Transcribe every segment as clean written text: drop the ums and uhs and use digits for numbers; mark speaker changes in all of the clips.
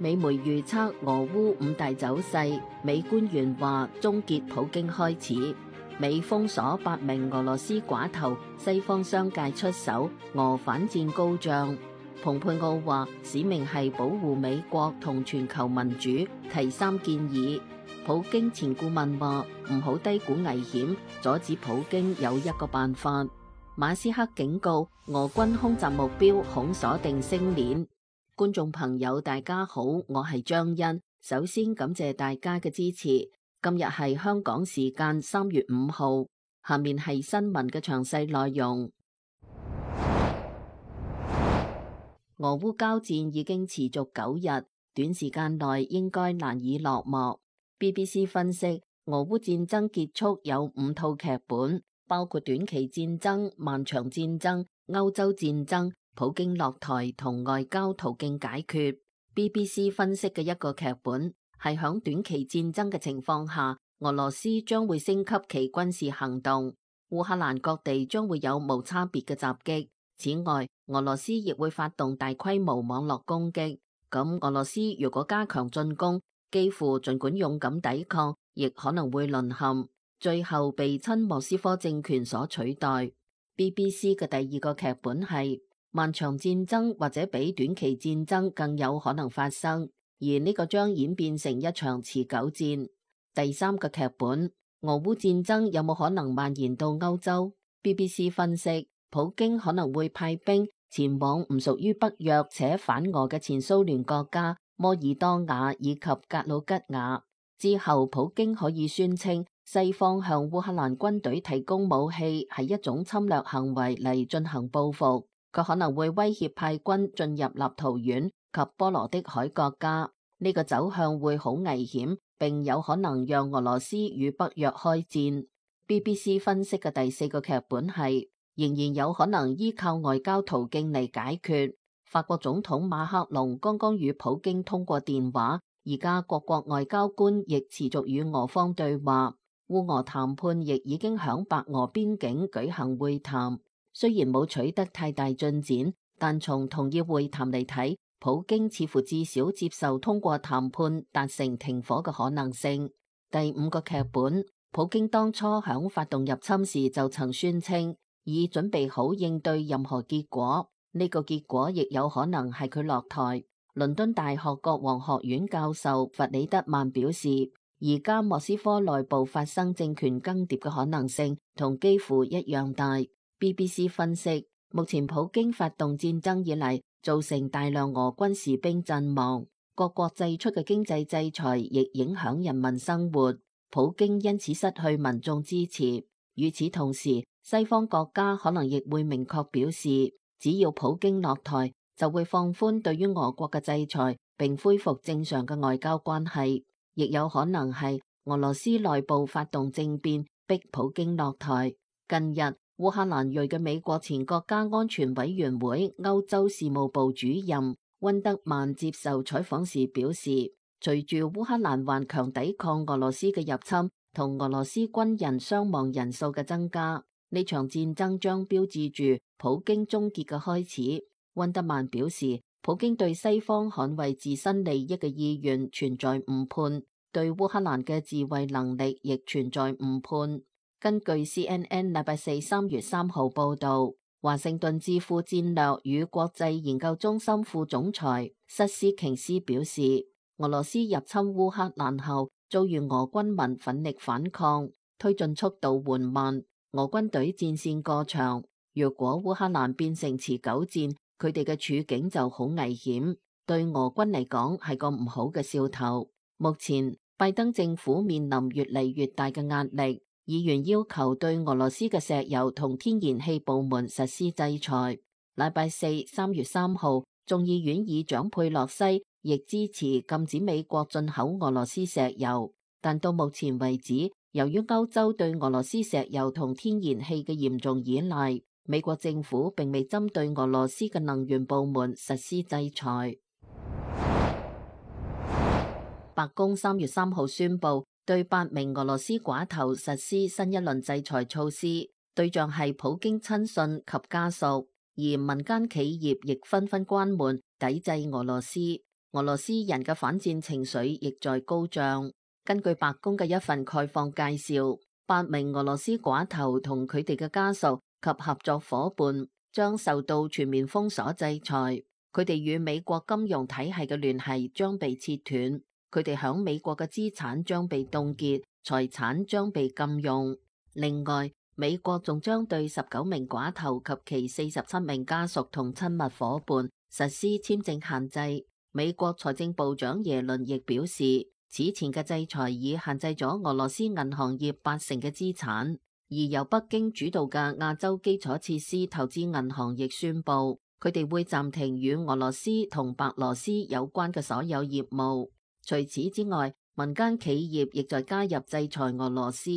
Speaker 1: 美媒預測俄烏五大走勢，美官員話終結普京開始。美封鎖8名俄羅斯寡頭，西方商界出手，俄反戰高漲。蓬佩奧話使命係保護美國同全球民主，提3建議。普京前顧問話唔好低估危險，阻止普京有一個辦法。馬斯克警告俄軍空襲目標恐鎖定星鏈。觀眾朋友大家好，我係張欣，首先感謝大家嘅支持。今日係香港時間3月5號，下面係新聞嘅詳細內容。俄烏交戰已經持續9日，短時間內應該難以落幕。BBC 分析，俄烏戰爭結束有5套劇本，包括短期戰爭、漫長戰爭、歐洲戰爭、普京落台同外交途徑解決。BBC 分析嘅一個劇本係響短期戰爭嘅情況下，俄羅斯將會升級其軍事行動，烏克蘭各地將會有無差別嘅襲擊。此外，俄羅斯亦會發動大規模網絡攻擊。咁俄羅斯如果加強進攻，幾乎儘管勇敢抵抗，亦可能會淪陷，最後被親莫斯科政權所取代。BBC 嘅第二個劇本係漫長戰爭，或者比短期戰爭更有可能發生，而呢個將演變成一場持久戰。第三個劇本，俄烏戰爭有冇可能蔓延到歐洲？ BBC 分析，普京可能會派兵前往唔屬於北約且反俄嘅前蘇聯國家摩爾多瓦以及格魯吉亞。之後普京可以宣稱西方向烏克蘭軍隊提供武器係一種侵略行為嚟進行報復。佢可能會威脅派軍進入立陶宛及波羅的海國家，呢個走向會好危險，並有可能讓俄羅斯與北約開戰。BBC 分析嘅第四個劇本係仍然有可能依靠外交途徑嚟解決。法國總統馬克龍剛剛與普京通過電話，而家各國外交官亦持續與俄方對話，烏俄談判亦已經響白俄邊境舉行會談。雖然冇取得太大進展，但從同意會談嚟睇，普京似乎至少接受通過談判達成停火嘅可能性。第五個劇本，普京當初響發動入侵時就曾宣稱已準備好應對任何結果，呢個結果亦有可能係佢落台。倫敦大學國王學院教授弗里德曼表示，而家莫斯科內部發生政權更迭嘅可能性同幾乎一樣大。BBC 分析，目前普京發動戰爭以嚟，造成大量俄軍士兵陣亡，各國祭出嘅經濟制裁亦影響人民生活，普京因此失去民眾支持。與此同時，西方國家可能亦會明確表示，只要普京落台，就會放寬對於俄國嘅制裁，並恢復正常嘅外交關係。亦有可能係俄羅斯內部發動政變，逼普京落台。近日，烏克蘭裔嘅美國前國家安全委員會歐洲事務部主任溫德曼接受採訪時表示，隨住烏克蘭頑強抵抗俄羅斯嘅入侵同俄羅斯軍人傷亡人數嘅增加，呢場戰爭將標誌住普京終結嘅開始。溫德曼表示，普京對西方捍衛自身利益嘅意願存在誤判，對烏克蘭嘅自衛能力亦存在誤判。根據 CNN 禮拜四3月3號報道，華盛頓智庫戰略與國際研究中心副總裁瑟斯瓊斯表示，俄羅斯入侵烏克蘭後遭遇俄軍民奮力反抗，推進速度緩慢，俄軍隊戰線過長。如果烏克蘭變成持久戰，佢哋嘅處境就好危險，對俄軍嚟講係個唔好嘅兆頭。目前拜登政府面臨越嚟越大嘅壓力。議員要求對俄羅斯嘅石油同天然氣部門實施制裁。禮拜四3月3號，眾議院議長佩洛西亦支持禁止美國進口俄羅斯石油，但到目前為止，由於歐洲對俄羅斯石油同天然氣嘅嚴重依賴，美國政府並未針對俄羅斯嘅能源部門實施制裁。白宮3月3號宣布，對8名俄羅斯寡頭實施新一輪制裁措施，對象係普京親信及家屬，而民間企業亦紛紛關門抵制俄羅斯。俄羅斯人嘅反戰情緒亦在高漲。根據白宮嘅一份概況介紹，8名俄羅斯寡頭同佢哋嘅家屬及合作夥伴將受到全面封鎖制裁，佢哋與美國金融體系嘅聯繫將被切斷，佢哋響美國嘅資產將被凍結，財產將被禁用。另外，美國仲將對19名寡頭及其47名家屬同親密夥伴實施簽證限制。美國財政部長耶倫亦表示，此前嘅制裁已限制咗俄羅斯銀行業80%嘅資產，而由北京主導嘅亞洲基礎設施投資銀行亦宣布，佢哋會暫停與俄羅斯同白羅斯有關嘅所有業務。除此之外，民間企業亦在加入制裁俄羅斯。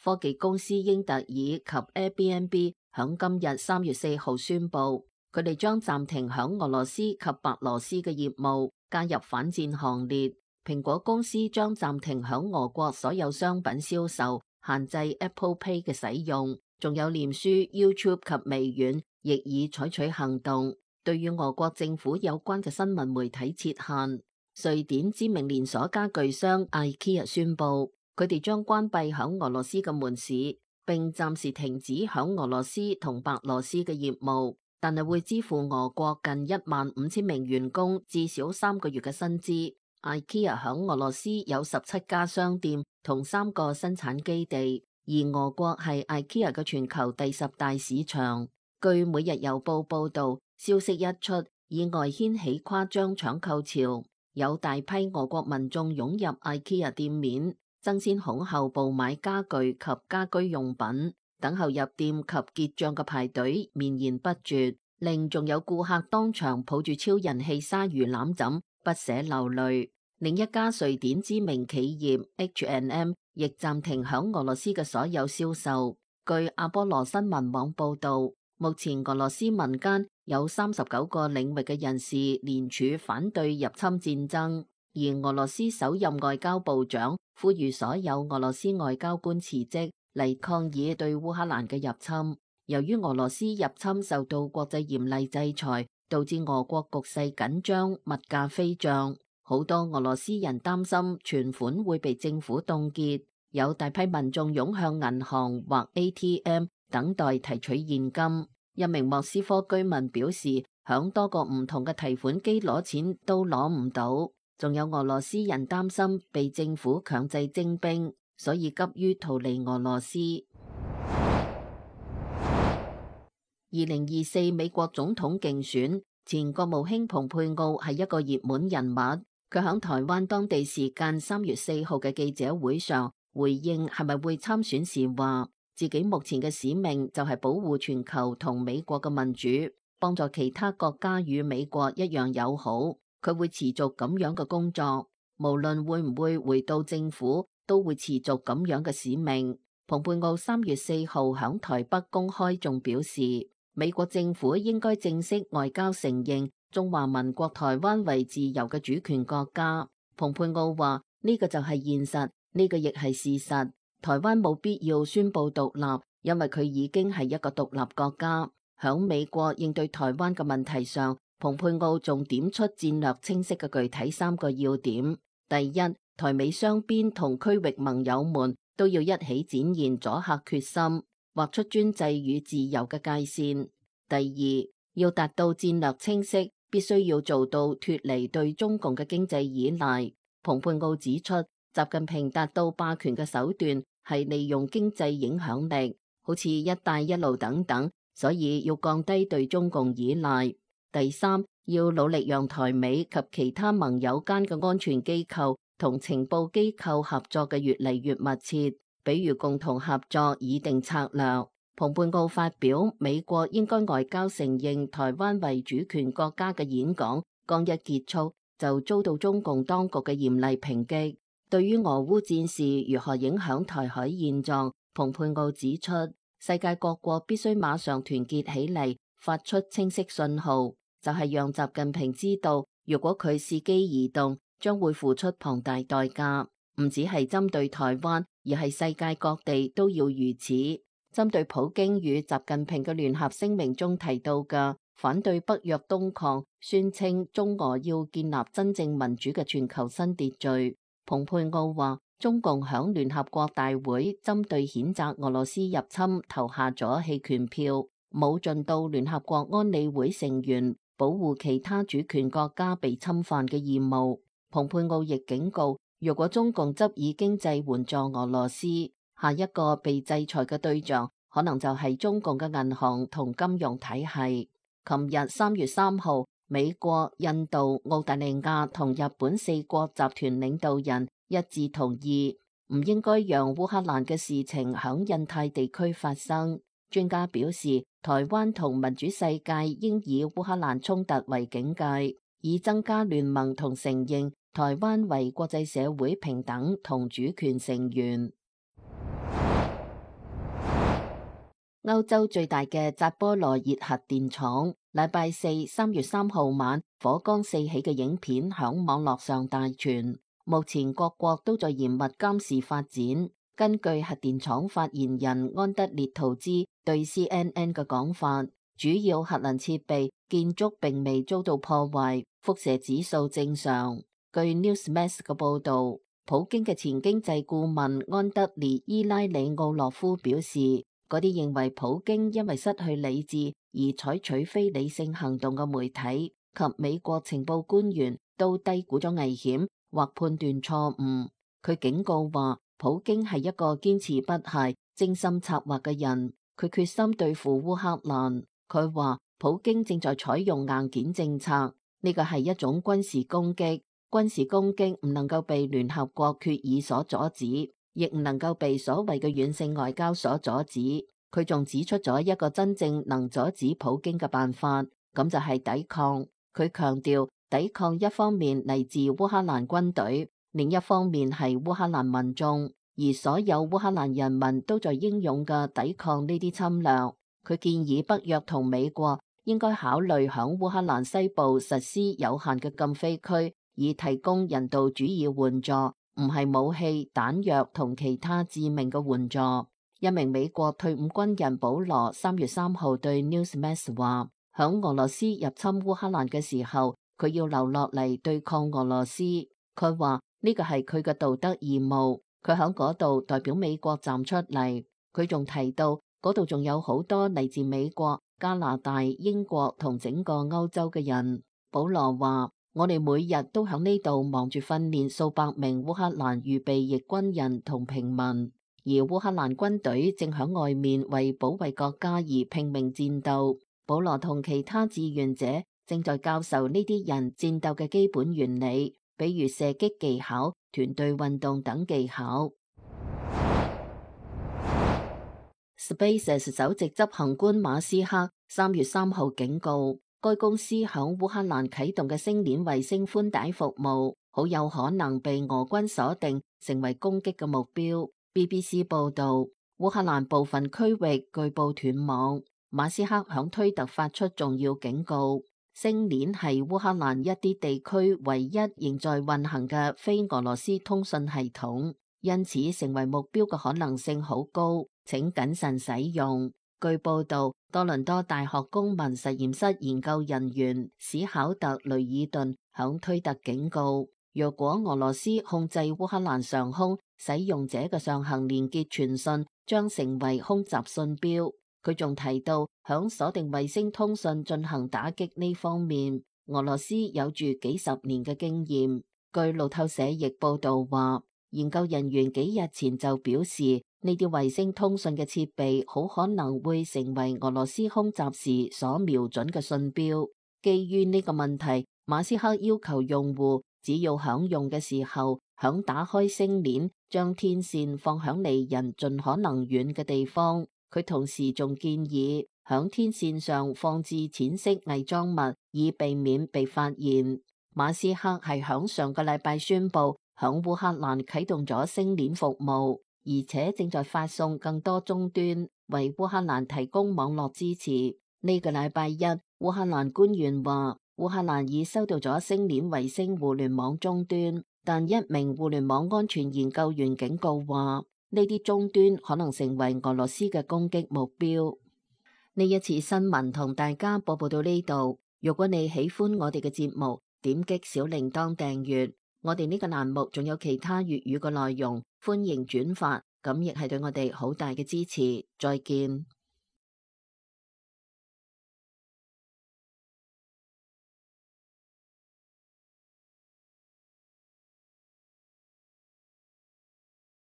Speaker 1: 科技公司英特爾及 Airbnb 響今日3月4號宣布，佢哋將暫停響俄羅斯及白羅斯嘅業務，加入反戰行列。蘋果公司將暫停響俄國所有商品銷售，限制 Apple Pay 嘅使用。仲有臉書、YouTube 及微軟亦已採取行動，對於俄國政府有關嘅新聞媒體設限。瑞典知名連鎖家具商 IKEA 宣布，佢哋將關閉響俄羅斯嘅門市，並暫時停止響俄羅斯同白羅斯嘅業務，但係會支付俄國近15000名員工至少3個月嘅薪資。IKEA 響俄羅斯有17家商店同3個生產基地，而俄國係 IKEA 嘅全球第10大市場。據每日郵報報道，消息一出，意外掀起誇張搶購潮，有大批俄國民眾湧入 IKEA 店面，爭先恐後購買家具及家居用品，等候入店及結賬嘅排隊綿延不絕，令仲有顧客當場抱住超人氣鯊魚攬枕不捨流淚。另一家瑞典知名企業 H&M 亦暫停響俄羅斯嘅所有銷售。據阿波羅新聞網報道，目前俄羅斯民間有39個領域嘅人士聯署反對入侵戰爭，而俄羅斯首任外交部長呼籲所有俄羅斯外交官辭職嚟抗議對烏克蘭嘅入侵。由於俄羅斯入侵受到國際嚴厲制裁，導致俄國局勢緊張，物價飛漲，好多俄羅斯人擔心存款會被政府凍結，有大批民眾湧向銀行或 ATM 等待提取現金。一名莫斯科居民表示，響多個唔同嘅提款機攞錢都攞唔到，仲有俄羅斯人擔心被政府強制徵兵，所以急於逃離俄羅斯。2024美國總統競選，前國務卿蓬佩奧係一個熱門人物。佢喺台灣當地時間3月4號嘅記者會上回應係咪會參選時話，自己目前嘅使命就係保護全球同美國嘅民主，幫助其他國家與美國一樣友好。佢會持續咁樣嘅工作，無論會唔會回到政府，都會持續咁樣嘅使命。蓬佩奧3月4號喺台北公開仲表示，美國政府應該正式外交承認中華民國台灣為自由嘅主權國家。蓬佩奧話：呢個就係現實，呢個亦係事實。台灣冇必要宣布獨立，因為佢已經係一個獨立國家。響美國應對台灣嘅問題上，蓬佩奧仲點出戰略清晰嘅具體3個要點：第一，台美雙邊同區域盟友們都要一起展現阻嚇決心，劃出專制與自由嘅界線；第二，要達到戰略清晰，必須要做到脫離對中共嘅經濟依賴。蓬佩奧指出，習近平達到霸權嘅手段係利用經濟影響力，好似一帶一路等等，所以要降低對中共依賴。第三，要努力讓台美及其他盟友間嘅安全機構同情報機構合作嘅越嚟越密切，比如共同合作擬定策略。蓬佩奧發表美國應該外交承認台灣為主權國家嘅演講，剛一結束就遭到中共當局嘅嚴厲抨擊。對於俄烏戰事如何影響台海現狀，蓬佩奧指出，世界各國必須馬上團結起嚟，發出清晰信號，就係讓習近平知道，如果佢伺機而動，將會付出龐大代價。唔只係針對台灣，而係世界各地都要如此。針對普京與習近平嘅聯合聲明中提到嘅反對北約東擴，宣稱中俄要建立真正民主嘅全球新秩序。蓬佩奧話，中共響聯合國大會針對譴責俄羅斯入侵投下咗棄權票，冇盡到聯合國安理會成員保護其他主權國家被侵犯嘅義務。蓬佩奧亦警告，如果中共執意經濟援助俄羅斯，下一個被制裁嘅對象可能就係中共嘅銀行同金融體系。琴日3月3號，美國、印度、澳大利亞同日本4國集團領導人一致同意，唔應該讓烏克蘭嘅事情響印太地區發生。專家表示，台灣同民主世界應以烏克蘭衝突為警戒，以增加聯盟同承認台灣為國際社會平等同主權成員。歐洲最大嘅扎波羅熱核電廠，禮拜四3月3號晚火光四起嘅影片響網絡上大傳。目前各國都在嚴密監視發展。根據核電廠發言人安德烈圖茲對 CNN 嘅講法，主要核能設備建築並未遭到破壞，輻射指數正常。據 Newsmax 嘅報導，普京嘅前經濟顧問安德烈伊拉里奧洛夫表示，嗰啲認為普京因為失去理智而採取非理性行動嘅媒體及美國情報官員都低估咗危險或判斷錯誤。佢警告話，普京係一個堅持不懈、精心策劃嘅人，佢決心對付烏克蘭。佢話，普京正在採用硬件政策，呢個係一種軍事攻擊。軍事攻擊唔能夠被聯合國決議所阻止，亦唔能夠被所謂嘅軟性外交所阻止。佢仲指出咗一個真正能阻止普京嘅辦法，咁就係抵抗。佢強調，抵抗一方面嚟自烏克蘭軍隊，另一方面係烏克蘭民眾，而所有烏克蘭人民都在英勇嘅抵抗呢啲侵略。佢建議北約同美國應該考慮響烏克蘭西部實施有限嘅禁飛區，以提供人道主義援助，唔係武器、彈藥同其他致命嘅援助。一名美國退伍軍人保羅3月3號對 Newsmax 話，響俄羅斯入侵烏克蘭嘅時候，佢要留落嚟對抗俄羅斯。佢話呢個係佢嘅道德義務，佢響嗰度代表美國站出嚟。佢仲提到嗰度仲有好多嚟自美國、加拿大、英國同整個歐洲嘅人。保羅話，我哋每日都響呢度忙住訓練數百名烏克蘭預備役軍人同平民，而烏克蘭軍隊正響外面為保衛國家而拼命戰鬥。保羅同其他志願者正在教授呢啲人戰鬥嘅基本原理，比如射擊技巧、團隊運動等技巧。SpaceX 首席執行官馬斯克3月3號警告，該公司響烏克蘭啟動嘅星鏈衛星寬帶服務，好有可能被俄軍鎖定成為攻擊嘅目標。BBC 報道，烏克蘭部分區域據報斷網。馬斯克響推特發出重要警告，星鏈係烏克蘭一啲地區唯一仍在運行嘅非俄羅斯通訊系統，因此成為目標嘅可能性好高，請謹慎使用。據報道，多倫多大學公民實驗室研究人員史考特雷爾頓響推特警告，若果俄羅斯控制烏克蘭上空，使用者嘅上行連結傳訊將成為空襲信標。佢仲提到，響鎖定衛星通訊進行打擊呢方面，俄羅斯有住幾十年嘅經驗。據路透社亦報道話，研究人員幾日前就表示，呢啲衛星通訊嘅設備好可能會成為俄羅斯空襲時所瞄準嘅信標。基於呢個問題，馬斯克要求用戶只要響用嘅時候，響打開星鏈，將天線放響離人盡可能遠嘅地方。佢同時仲建議響天線上放置淺色偽裝物，以避免被發現。馬斯克係響上個禮拜宣布響烏克蘭啟動咗星鏈服務，而且正在發送更多終端，為烏克蘭提供網絡支持。呢個禮拜一，烏克蘭官員話，烏克蘭已收到咗星鏈衛星互聯網終端，但一名互聯網安全研究員警告話，呢啲終端可能成為俄羅斯嘅攻擊目標。呢一次新聞同大家播報到呢度。如果你喜歡我哋嘅節目，點擊小鈴鐺訂閱。我哋呢個欄目仲有其他粵語嘅內容，歡迎轉發，咁亦係對我哋好大嘅支持。再見。